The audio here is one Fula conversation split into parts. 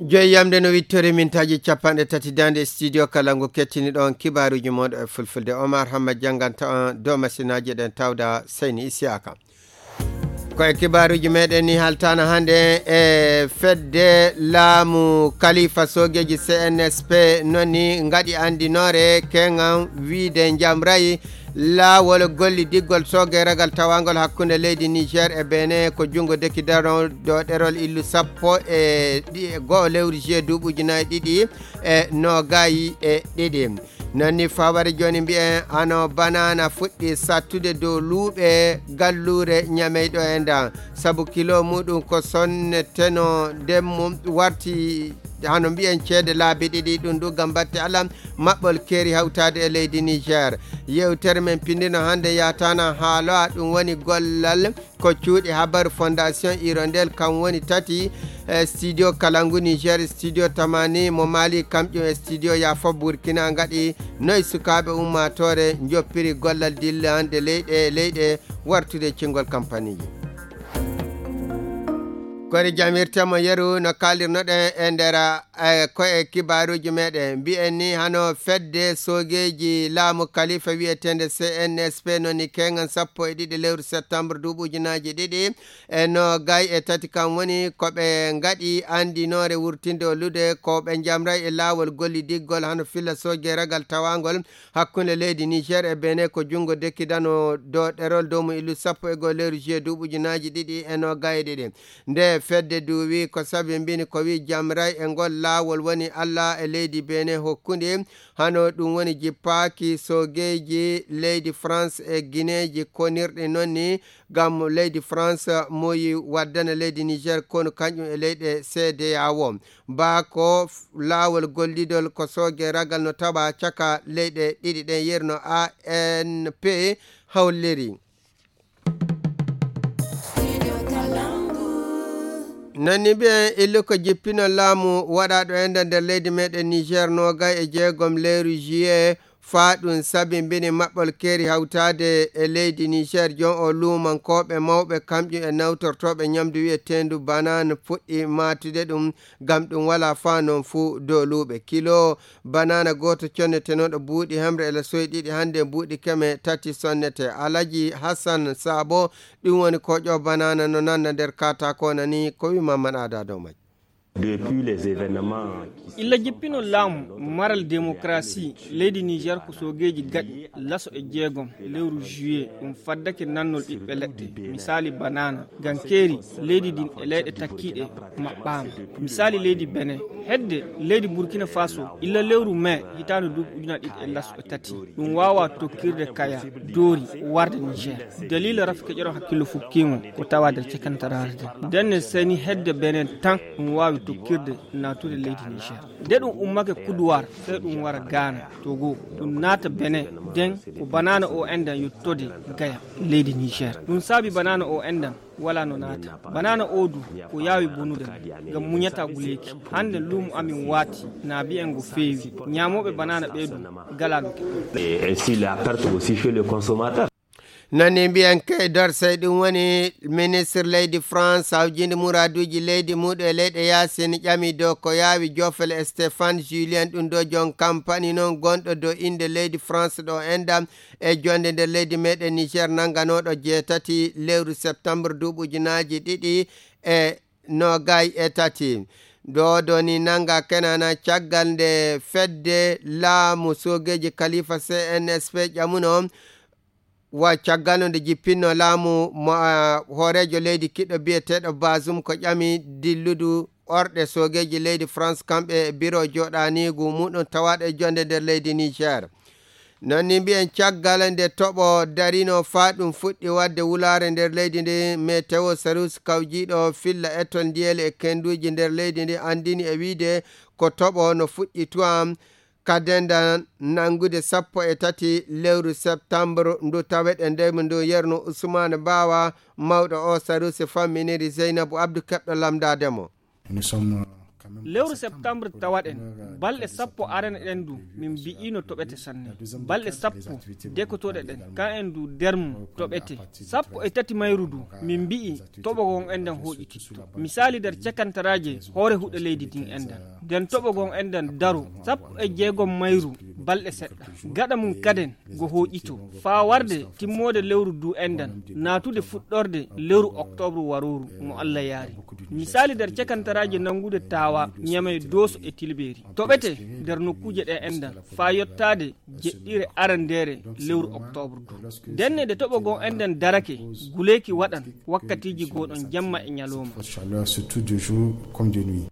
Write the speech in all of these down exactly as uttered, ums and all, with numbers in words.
Joyi yamde no wittori mintaaji capanɗe tati daande studio kala ngu kettini ɗon kibaaruuji mooɗo e fulfulde. Omar Hamma jannganta on dow masinaaji ɗen tawda Seyni Isiyaka. Ko e kibaaruuji meɗen ni haltana hannde e fedde laamu kalifa soogeeji C N S P noni ngaɗi anndinoore keŋan wiide njamrayi laawol gollidiggol sooge ragal tawangol hakkunde leydi Niger e Benin ko junngo deki daro dow ɗerol illu sappo e ɗi-, go'o lewru juillet duuɓi ujunaaji ɗiɗi e noogayi e ɗiɗi. Nani faware jooni mbiyen hano banana fuɗɗi sattude dow luuɓe galluure ñameyɗo e nda. Sabu kilo muɗum ko sonne teno ndemmu warti hano mbiyen ceede laabi ɗiɗi ɗum ɗum gam batte alam maɓɓol keeri hawtaade e leydi Niger. Yewtere men pindino hannde yatana haalo a ɗum woni gollal ko cuuɗi habaru Fondation Hirondelle kam woni tati e studio Kalangu Niger, studio Tamani mo Mali, kam ƴum e studio Yafa Burkina ngaɗi noy sukaaɓe ummaatoore njoppiri gollal dillande leyɗe e leyɗe wartude cingol kampaniji. Kori jamirtemo yeru no kalirnoɗen e nder e ko e kibaaruuji meɗen mbiyen ni hano fedde soogeeji laamu kalifa wiyeteende C N S P noni keŋan sappo e ɗiɗi lewru septembre duuɓi ujunaaji ɗiɗi e noogay e tati kam woni ko ɓe ngaɗi anndinoore wurtinde o lude ko ɓe njamray e laawol gollidiggol hano filla sooge ragal tawangol hakkunde leydi Niger e Benin ko junngo dekkidano do ɗerol dow mo illu sappo e goo lewru juillet duuɓi ujunaaji ɗiɗi e noogay e ɗiɗi. Nde fedde duwi ko sabi mbini ko wi jamray e ngol laawol woni Allah e leydi Benin hokkundi hano ɗum woni jippaaki soogeeji leydi France e gineeji konirɗi noon ni ngam leydi France moyi waddana leydi Niger konu kañum e leyɗe C D A O. Baa ko f-, laawol gollidol ko sooge ragal no tawa caka leyɗe ɗiɗi ɗen yerno A N P holliri. Nani mbiyen illu ko jippino laamu waɗaaɗo enda nder leydi meɗen Niger noogay e jeegom lewru juillet faa ɗum sabi mbini maɓɓol keeri hawtaade e leydi Niger jon o luumankooɓe mawɓe kamƴum e nawtortooɓe ñamdu wiyeteendu banane fuɗɗi maatude ɗum ngam ɗum walaa faa noon fuu dooluuɓe kilo banana gooto connetenooɗo buuɗi hemre e lasoyi ɗiɗi hannde buuɗi keme tati sonnete. Alaji Hassan Sabo ɗum woni koƴo banana no nanda nder katakona ni ko wi Mamman Ada dow majji. Depuis les événements qui se illa sont jippino passés laamu en maral Nigeria, démocratie leydi Niger ko soogeeji gaɗi laso e jeegom lewru juillet ɗum faddake nannol ɓiɓɓe leɗɗe misali banana gankeeri leydi ndin e leyɗe takkiiɗe maɓɓaama. Misali leydi Benin hedde leydi Burkina Faso illa lewru mai hitaande duuɓi ujunaaji ɗiɗi e laso e tati ɗum waawa tokkirde kaya doori warde Niger. Dalila rafi keƴoron hakkillo fukkimo ko tawa nder cekantaraare nden. Ndenne seni hedde Benin tan ɗum waawi tokkirde naatude leydi Niger. Nde ɗum ummake Kuduwar sey ɗum wara Ghana, Togo, ɗum naata Benin nden ko banana o endan yettode Gaya leydi Niger. Ɗum saabi banana o endan wala no naata. Banana o du ko yaawi bonude ngam muñata guleeki. Hannde luumo amin waati na bi'en ngo feewi. Ñaamooɓe banana ɓee du gala no keɓɓen. Et ainsi la perte aussi chez le consommateur. Nani mbiyen kay dorsey ɗum woni ministre leydi France hawjinde muraduuji leydi muɗum e leyɗe yaasin ƴami dow ko yaawi jofel Stéphane Julien ɗum ɗo jon kampani noon gonɗo dow innde leydi France ɗo endam e jonde nder leydi meɗen Niger nanganooɗo jeetati lewru septembre duuɓi ujunaaji ɗiɗi e noogay e tati. Ɗo ɗo ni nanga kenana caggal nde fedde laamu soogeeji kalifa C N S P ƴamuno wa caggal no nde jippinno laamu mo, ah, hooreejo leydi kiɗɗo biyeteeɗo Bazoum ko ƴami dilludu orɗe soogeeji leydi France kamɓe e biro jooɗaniigu muɗum tawaaɗo e jonde nder leydi Niger. Noon ni mbiyen caggal nde toɓo darino faa ɗum fuɗɗi waɗde wulaare nder leydi ndi, Meteo Sarus kawjiiɗo filla etol ndiyeli e kenduuji nder leydi ndi anndini e wiide ko toɓo no fuɗɗi tuwam ka denda nanngude sappo e tati lewru septembre ndu taweɗen ndeymu ndu yerno Usmaane Baawa mawɗo o Sarus famminiri Zeynabu Abdu keɓɗo lamndaade mo. Nous sommes Lewru septembre tawaɗen, balɗe sappo arane ɗen du, min mbi'ino toɓete sanne. Balɗe sappo dekotooɗe ɗen, kan en du dermu toɓete. Sappo e tati mayru du, min mbi'i toɓo gon enɗan hooƴititto. Misaali, nder cakantaraaje hoore huɗo leydi ndin enɗan. Nden toɓo gon enɗan daro, sappo e jeegom mayru balɗe seɗɗa. Gaɗa mum kaden, go hooƴito. Faa warde timmoode lewru du enɗan, naatude fuɗɗorde lewru oktoobre warooru mo Alla yaari. Misaali, nder cakantaraaje nanngude taawa, Ñamey, Dooso e Tilbeeri. Toɓete nder nokkuuje ɗe enɗan, faa yottaade jeɗɗire arandeere lewru oktoobre du. Ndenne nde toɓo gon enɗan darake, guleeki waɗan wakkatiiji gooɗon jamma e ñalooma. Chaleur surtout de jour comme de nuit.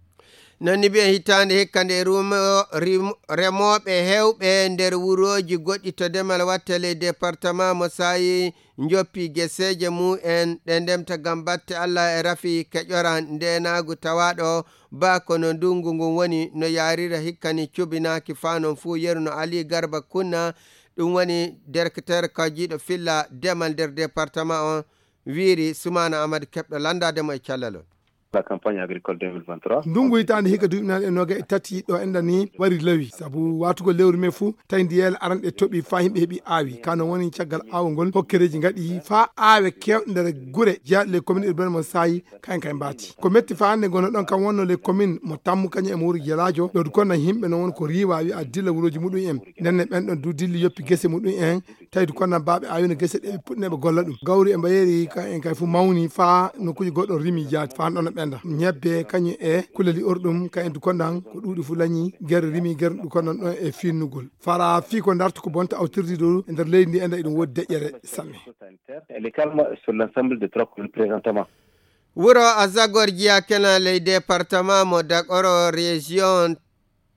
Non ni mbiyen hitaande hikka nde rumo-, rim-, remooɓe heewɓe nder wurooji goɗɗi to demal watte ley département mo saayi njoppi geseeje mum en ɗe ndemta ngam batte Alla e rafi keƴora ndeenaagu tawaaɗo ba kono ndunngu ngun woni no yaarira hikka ni cubinaaki faa non fuu yeru no Ali Garba Kunna, ɗum woni directeur kawjiiɗo filla demal nder département on, wiiri Sumaana Ahmad keɓɗo lanndaade mo e callal on. La campagne agricole deux mille vingt-trois. Ndunngu hitaande hikka duuɓi naange e noga e tati ɗo enɗan ni wari lawi. Sabu waatugol lewru me fuu, tawi ndiyeele aranɗe toɓi faa yimɓe heɓi aawi. Ka non woni caggal aawol ngol, hokkereeji ngaɗi faa aawe keewɗe nder gure jeyaaɗe ley commune urbaine mo saayi, kayen kay mbaati. Ko metti faa hannde ngono ɗon kam wonno ley commune mo Tammu kañum e mo Wuro Gelaajo. Ɗo du kono yimɓe non woni ko riiwa wi'a dilla wurooji muɗum en. Ndenne ɓen ɗon du dilli yoppi gese muɗum en. Tawi du kono baaɓe aawino gese ɗe puɗɗinooɓe golla ɗum. Gawri e mbayeeri ka en kay fu mawni faa nokkuuji goɗɗo rimi jaati faa ɗon ɓenda. Ñebbe kañum e kulali orɗum ka en du kono ko ɗuuɗi fu lañi gere rimi gere ɗum kono ɗon e finnugol. Fara fii ko darta ko bonta awtirdi dow e nder leydi ndi enda eɗum woodi deƴƴere sanne. Elle est calme sur l'ensemble des trois communes présentement. Wuro Azagor jiya kenan ley département mo Dakoro région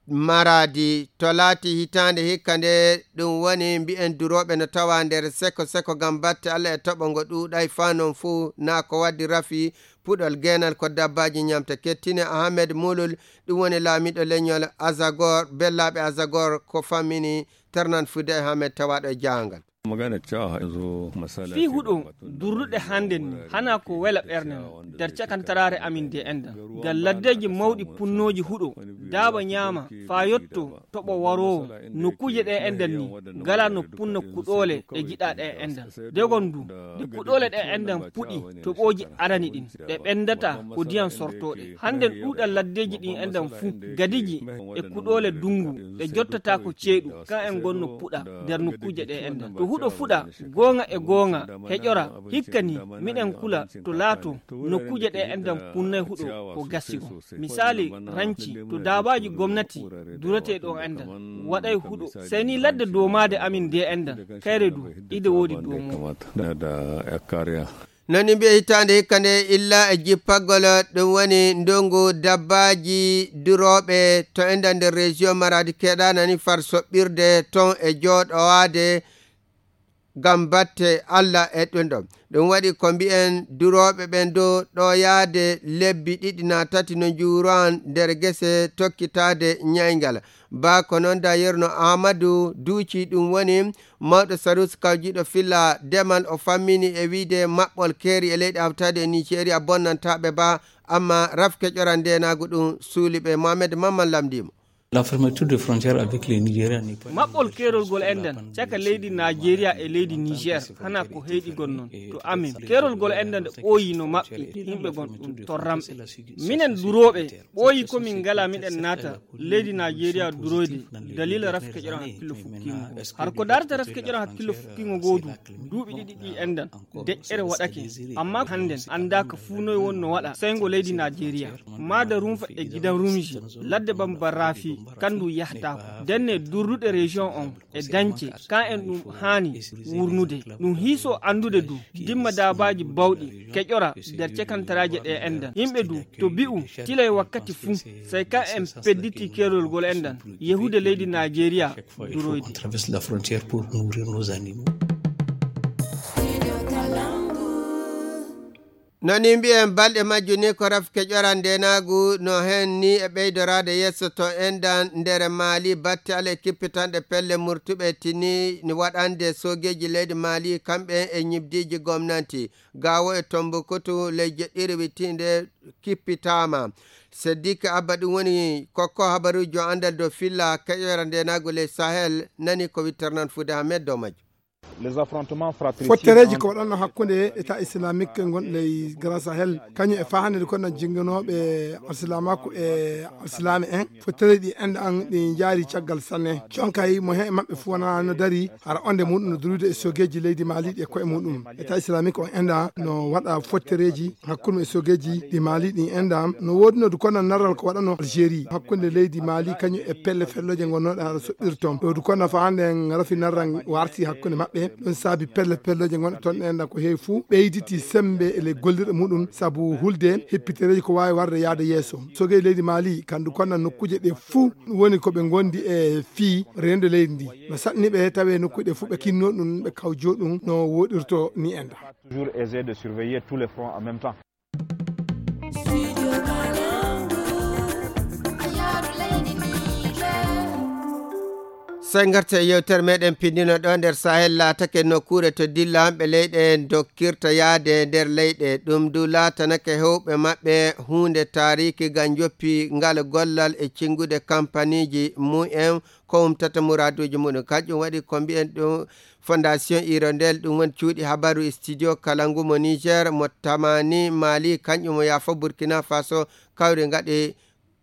Maradi to laati hitaande hikka nde, ɗum woni mbi'en durooɓe no tawa nder seko seko ngam batte Alla e toɓo ngo ɗuuɗay faa non fuu naa ko waddi rafi puɗol geenal ko dabbaaji ñamta. Kettine Ahmed Mulul, ɗum woni laamiiɗo leñol Azagor, bellaaɓe Azagor ko fammini ternan fude e Ahmed tawaaɗo e jaangal. Fii huɗo durruɗe hannden ni, hanaa ko wela ɓernde non. Nder cakantaraare amin de enɗan, ngal laddeeji mawɗi punnooji huɗo, daaba ñaama, faa yotto toɓo waroowo, nokkuuje ɗe enɗan ni, ngalaa no punna kuɗoole ɗe jiɗaa ɗe enɗan. Degon du, nde kuɗoole ɗe enɗan puɗi, toɓooji arani ɗin, ɗe ɓendataa ko diyan sortooɗe. Hannden ɗuuɗal laddeeji ɗin enɗan fuu, gadiji e kuɗoole dungu, ɗe jottataako ceeɗu, kan en ngonno puɗa nder nokkuuje ɗe enɗan. To huɗo fuɗa, goonga e goonga, heƴora, hikka ni, miɗen kula to laato, nokkuuje ɗe enɗan punnay huɗo ko gasi on. Misaali, ranci, to daabaaji gomnati duretee ɗo enɗan, waɗay huɗo. Sey ni ladde doomaade amin de enɗan, kayre du, ide woodi doomo. Nani mbiya hitaande hikka nde illa e jippagol, ɗum woni ndongu dabbaaji durooɓe to enɗan nder région Maradi keɗanani far soɓɓirde ton e jooɗowaade ngam batte Alla e ɗum ɗon. Ɗum waɗi ko mbi'en durooɓe ɓen dow ɗo yaade lebbi ɗiɗi naa tati no njuuran nder gese tokkitaade ñayngal. Ba ko noon da yerno Amadou Duuci, ɗum woni mawɗo Sarus kawjiiɗo filla demal, o fammini e wiide maɓɓol keeri e leyɗe hawtaade e Nigeria bonnantaaɓe ba, amma rafke ƴoran ndeenaagu ɗum suuli ɓe. Mohamed Mamman lamndii mo. La fermeture de frontière avec le Nigeria n'est pas une maɓɓol keerol gol enɗan caka leydi Nigeria e leydi Niger hana ko heyɗigol noon to amin. Keerol gol enɗan nde ɓooyi no maɓɓe, yimɓe gon ɗum torramɓe. Minen durooɓe ɓooyi ko min ngala miɗen naata leydi Nigeria duroyde dalila rafke ƴoran hakkillo fukkingo. Har ko darata rafke ƴoran hakkillo fukkingo ngoo du, duuɓi ɗiɗi ɗi enɗan deƴƴere waɗake. Amma hannden anndaaka fuu noy wonno waɗa sey ngo leydi Nigeria. Maada rumfa e gidan rumji ladde bamba rafi kandu yahtaako. Denne durruɗe région on e dañce, ka en ɗum haani wurnude. Ɗum hiiso anndude du, dimma daabaaji bawɗi, keƴora nder cekantaraaje ɗe enɗan. Yimɓe du, to bi'u, tilay wakkati fuu, sey ka en pedditi keerol gol enɗan, yehude leydi Nigeria, duroyde. On traverse la frontière pour nourrir nos animaux. No ni mbiyen, balɗe majju ni ko rafke ƴoran ndenaagu, no heen ni e ɓeydoraade yeeso to endan nder Maali, batte ale kippitanɗe pelle murtuɓe tini ni waɗande soogeeji leydi Maali, kamɓe e ñibdiiji gomnanti. Gaawo e Tombouctou, ley jeɗɗiri wittiinde kippitaama. Seddik Abba, ɗum woni kokko habaruujo anndal dow filla keƴoyra ndenaagu ley Sahel, nani ko witternan Fuude Ahmed dow majjum. Les affrontements fratricides fottereeji entre ko waɗanno hakkunde État islamique ngon ley Grand Sahel, kañum e fahanede kono jingganooɓe alsilamaaku e alsilaame en. Fottereeji ɗi enda an ɗi njaari caggal sanne. Conkay mo he maɓɓe fuu wonaa no dari, hara onde muɗum no durude e sogeeji leydi Maali ɗi e koye muɗum. État islamique on enda no waɗa fottereeji hakkunde e sogeeji ɗi Maali ɗi enda. No woodino du kono narral ko waɗano Algérie hakkunde leydi Maali kañum e pelle fellooje ngonnooɗe hara soɓɓirton. Ɗo du kono fa hannde en rafi narral warti hakkunde maɓɓe. Ɗum saabi pelle pellooje ngonɗe toon ɗen ko heewi fuu ɓeyditi sembe e ley gollirɗe muɗum sabu hulde heppitereeji ko waawi warde yaade yeeso. Sogeeji leydi Maali kandu kono nokkuuje ɗe fuu woni ko ɓe ngondi e fii rendo leydi ndi. No saɗni ɓe tawe nokkuuje ɗe fuu ɓe kinno ɗum, ɓe kawjo ɗum no woɗirto ni enda. Toujours aisé de surveiller tous les fronts en même temps. Sey ngarten e yewtere meɗen pindino ɗo nder Sahel laatake nokkuure to dillaaɓe leyɗe dokkirta yaade nder leyɗe. Ɗum du laatanake hewɓe maɓɓe huunde taariki ngam joppi ngal gollal e cingude kampaniiji mumen ko umtata muraaduuji muɗum. Kanƴum waɗi ko mbiyen ɗum Fondation Hirondelle, ɗum woni cuuɗi habaru e studio kala ngu mo Niger, mo Tamani Mali, kanƴum mo Yafa Burkina Faso, kawri ngaɗi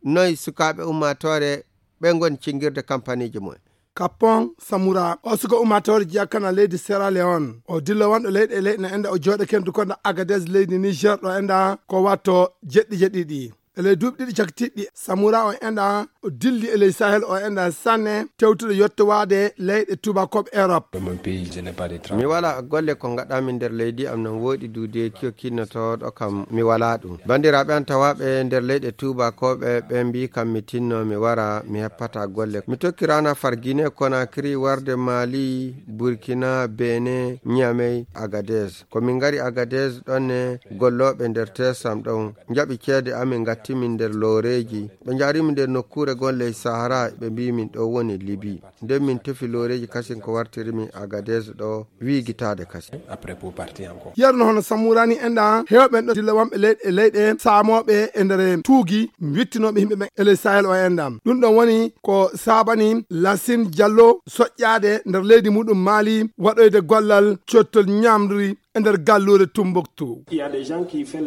noy sukaaɓe ummaatoore ɓe ngoni cingirde kampaniiji mumen. Kapon Samura, o suka ummaatoore jeyaa kana leydi Sierra Leone. O dilla wonɗo leyɗe e leyɗe no enda o jooɗa kendu kono Agadez leydi Niger ɗo enda ko watto jeɗɗi jeɗɗiɗi. E ley duuɓi ɗiɗi cakitiɗɗi, Samura o enda o dilli e ley Sahel o enda sanne tewtude yottowaade leyɗe tuubakooɓe Europe. Dans mon pays, je n'ai pas de travail. Mi wala golle ko ngaɗami nder leydi am non woɗi duude kiyo kinnotooɗo kam mi wala ɗum. Bandiraaɓe an tawaaɓe nder leyɗe tuubakooɓe ɓe mbi kam mi tinno mi wara mi heppata golle. Mi tokki rana far Guinée Conakry warde Mali, Burkina, Benin, Niamey, Agadez. Ko min ngari Agadez ɗonne gollooɓe nder tesam ɗon njaɓi ceede amin ngattimin nder looreeji. Ɓe njaarimi nder nokkuure gon ley Sahara ɓe mbi min ɗo woni Libi. Nden min tefi looreeji kasin ko wartirimi Agadez ɗo wiigitaade kasin. Après pour partir encore. Yeru no hono Samurani enɗa heewɓe ɗo dilla wonɓe leyɗe e leyɗe saamooɓe e nder tuugi wittinooɓe yimɓe ɓen e ley Sahel o enɗa. Ɗum ɗon woni ko saabani Lassine Diallo soƴƴaade nder leydi muɗum Mali waɗoyde gollal cottol ñamri e nder galluure Tumbuktu.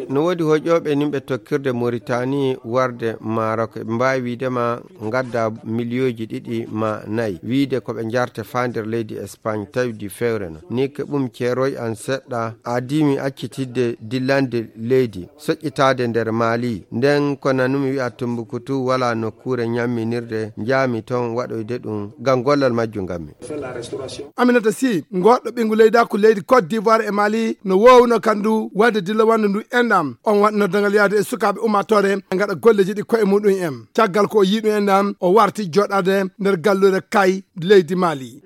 No woodi hoƴooɓe nimɓe tokkirde Moritani warde Maroc, ɓe mbaawi wiide ma ngadda miliyooji ɗiɗi ma nayi, wiide ko ɓe njarte faa nder leydi Espagne, tawi di fewre no. Ni keɓum ceeroy an seɗɗa, adii mi accitidde dillande leydi, soƴƴitaade nder Mali. Nden ko nanumi wi'a Tumbuktu wala nokkuure ñamminirde, njaami ton waɗoyde ɗum, ngam gollal majjum ngammi. Aminata Sy, goɗɗo ɓinngu leydaaku leydi Côte d'Ivoire e Mali, no woowuno kandu waɗde dilla wanndu ndu enɗam. On waɗi noddangal yaade e sukaaɓe ummaatoore, ɓe ngaɗa golleeji ɗi koye muɗum en. Caggal ko o yii ɗum enɗam, o warti jooɗaade nder galluure kay leydi Mali.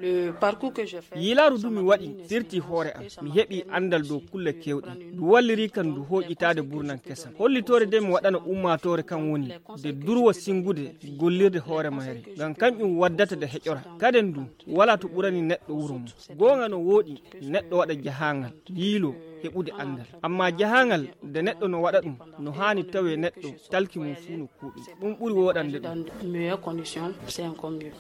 Yiilaaru ndu mi waɗi firti hoore am. Mi heɓi anndal dow kulle keewɗe. Ndu walliri kan ndu hooƴitaade burnam kesam. Hollitoore nde mi waɗana ummaatoore kan woni nde durwa singude gollirde hoore mayre. Ngam kanƴum waddata nde heƴora. Kaden ndu, wala to ɓurani neɗɗo wuro mum. Goonga no wooɗi neɗɗo waɗa jahaangal, yiilo, heɓude anndal. Amma jahaangal, nde neɗɗo no waɗa ɗum, no haani tawe neɗɗo talki mum fuu no kuuɗum. Ɗum ɓuri wooɗande ɗum.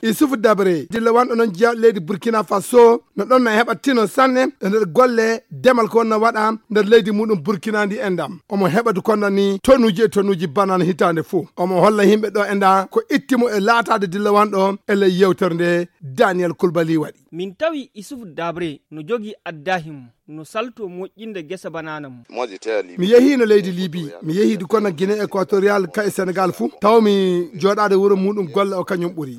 Issouf Dabré, dilla wanɗo noon jeyaa leydi Burkina Faso, no ɗon no heɓa tino sanne e nder golle demal ko wonno waɗa nder leydi muɗum Burkina ndi enɗam. Omo heɓa du kono ni tonuuji e tonuuji banana hitaande fof. Omo holla yimɓe ɗo enɗa ko itti mo e laataade dilla wanɗo e ley yewtere nde Daniel Koulibaly waɗi. Min tawi Issouf Dabré no jogii addahi mum, no salto moƴƴinde gesa banana mum. Mi yehiino leydi Libi, mi yehii du kono Guinée Équatoriale ka e Sénégal fuu, taw mi jooɗaade wuro muɗum golle o kañum ɓuri.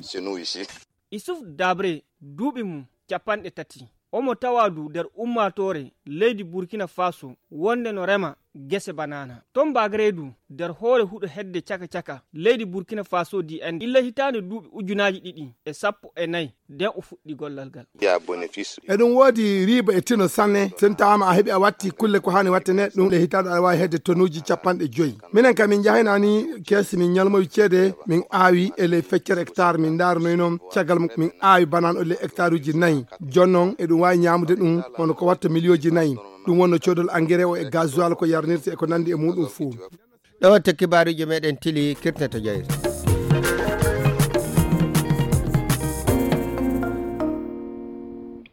Issouf Dabré, duuɓi mum capanɗe tati. Omo tawa du nder ummaatoore leydi Burkina Faso, wonde no rema Gese banana ton bagre du nder hoore huɗo hedde caka caka leydi Burkina Faso di en illa hitaande duuɓi ujunaaji ɗiɗi e sappo e nayi nden o fuɗɗi gollal ngal. Eɗum woodi riiba e tino sanne, sen tawaama a heɓi a watti kulle ko haani watte ne ɗum le hitaande aɗa waawi hedde tonuuji capanɗe joyi. Minen kam min njahaynaani keesi min ñalmowi ceede min aawi e ley feccere hectare min ndaaranoy noon caggal min aawi banaan o ley hectare uji nayi. Jooni noon eɗum waawi ñaamude ɗum hono ko watta miliyooji nayi. Ɗum wonno coodol engrais o e gasoil ko yarnirta e ko nanndi e muɗum fuu. Ɗo watta kibaaruuji meɗen tili kirtata jayre.